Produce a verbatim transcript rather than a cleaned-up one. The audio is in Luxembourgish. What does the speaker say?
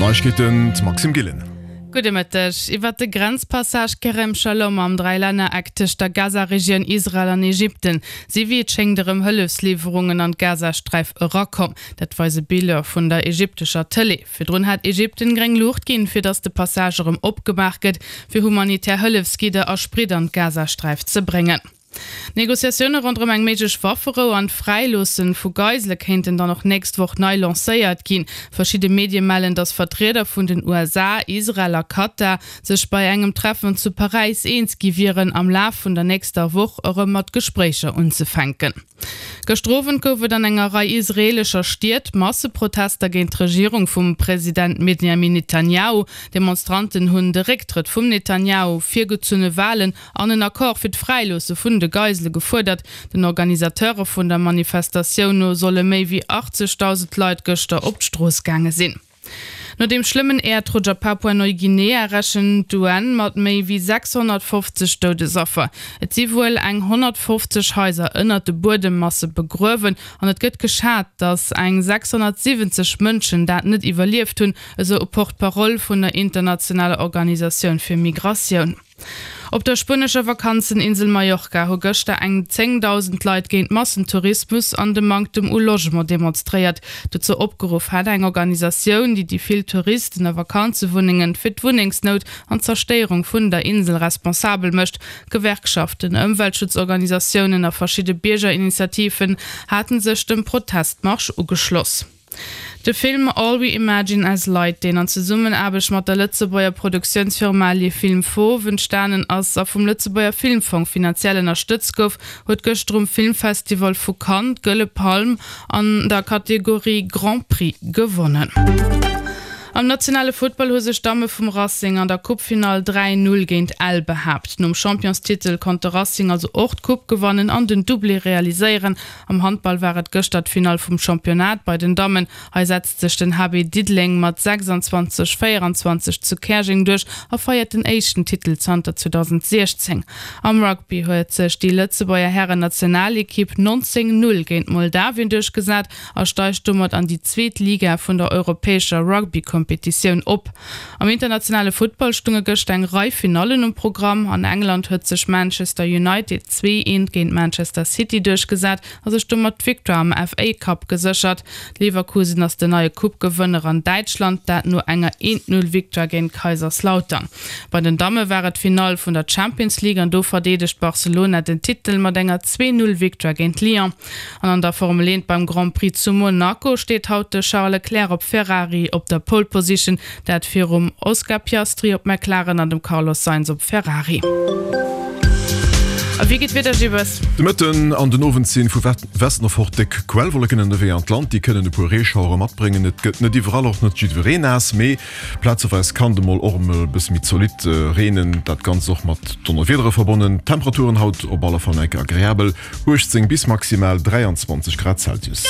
Neiegkeeten, d'Maxime Gillen. Gudde Mëtteg. Iwwer de Grenzpassage Kerem Shalom am Dräilännereck tëscht der Gaza-Regioun, Israel an Ägypten si wéi et schéngt erëm Hëllefsliwwerungen an d'Gazasträif erakomm. Dat weise Biller vun der ägyptescher Tëlee. Virdrun hat Ägypten gréng Luucht ginn, fir datt de Passage erëm opgemaach gëtt, fir humanitär Hëllefsgidder a Sprit an d'Gazasträif ze bréngen. D'Negociatioune ronderëm eng méiglech Wafferou an d'Fräiloosse vu Geisele kéinten dann och nächst Woch nei lancéiert ginn. Verschidde Medie mellen, datt Vertrieder vun den U S A, Israel a Katar sech bei engem Treffen zu Paräis eens gi wieren, am Laf vun der nächster Woch erëm mat Gespréicher unzefänken. Gëschter Owend gouf et an enger Rei israeelescher Stied Masseprotester géint d'Regierung vum President Benjamin Netanjahu. Demonstranten hunn de Récktrëtt vum Netanjahu, virgezunne Walen an en Accord fir d'Fräiloosse vun de Geisele gefuerdert. Den Organisateure vun der Manifestatioun no solle méi wéi achtzegdausend Leit gëschter op d'Strooss gaange sinn. No dem schlëmmen Äerdrutsch a Papua-Neuguinea rechent d'U N mat méi wéi sechshonnertfofzeg Doudesaffer. Et si wuel eng honnertfofzeg Haiser ënnert de Buedemmasse begruewen an et gëtt geschat, datt eng sechshonnertsiwwenzeg Mënschen dat net iwwerlieft hunn, esou e Porte-parole vun der internationaler Organisatioun fir Migratioun. Op der spuenescher Vakanzeninsel Mallorca hu gëschter eng zéngdausend Leit géint Massentourismus an de Manktem u Logement demonstréiert. Dozou opgeruff hat eng Organisatioun, déi déi vill Touristen a Vakanzewunnengen fir d'Wunnengsnout an d'Zerstéierung vun der Insel responsabel mécht. Gewerkschaften, Ëmweltschutzorganisatiounen a verschidde Biergerinitiativen haten sech dem Protestmarsch ugeschloss. De Film All We Imagine As Light, deen an Zesummenaarbecht mat der Lëtzebuerger Produktiounsfirma Les Films Fauves entstanen ass a vum Lëtzebuerger Filmfong finanziell ënnerstëtzt gouf, huet gëschter um Filmfestival vu Cannes d'Gëlle Palm an der Kategorie Grand Prix gewonnen. Am nationale Futtball hu sech d'Damme vum Racing an der Coupe-Finall dräi Null géint Ell behaapt. Nom Championstitel konnt de Racing also och d'Coupe gewannen an den Doublé realiséieren. Am Handball war et gëschter d'Finall vum Championnat bei den Dammen. Hei setzt sech den H B Diddeleng mat sechsanzwanzeg véieranzwanzeg zu Käerjeng duerch a feiert den éischten Titel zanter zweedausendsechzéng. Am Rugby huet sech déi Lëtzebuerger Herren-Nationalekipp neunzéng Null géint Moldawien duerchgesat a steigt domat an déi zweet Liga vun der europäescher Rugby-Kompetitioun op. Am internationale Futtball stunge gëschter eng Rei Finallen um Programm. An England huet sech Manchester United zwee eent géint Manchester City duerchgesat a sech domat d'Victoire am F A Cup geséchert. Leverkusen ass den neie Coupe-Gewënner an Däitschland, dat no enger eent Null Victoire géint Kaiserslautern. Bei den Damme war et d'Finall vun der Champions League an do verdeedegt Barcelona den Titel mat enger zwee Null Victoire géint Lyon. An an der Formel eent beim Grand Prix zu Monaco steet haut de Charles Leclerc op Ferrari op der Pole Position, dat virum Oscar Piastri op McLaren an dem Carlos Sainz op Ferrari. A wéi geet d'Wieder, Gibes? De Mëtten an den Owend sinn vu Westen of fort déck Quellwolleken ënnerwee an d'Land. Déi kënnen e puer Reeschauere matbréngen. Et gëtt net iwwerall och net jiddwereen naass, mee plazeweis kann de mol och emol e bësse méi zolidd reenen. Dat Ganzt och mat Donnerwiedere verbonnen. Temperaturen haut op alle Fall enke agreabel, uechtzéng bis maximal dräianzwanzeg Grad Celsius.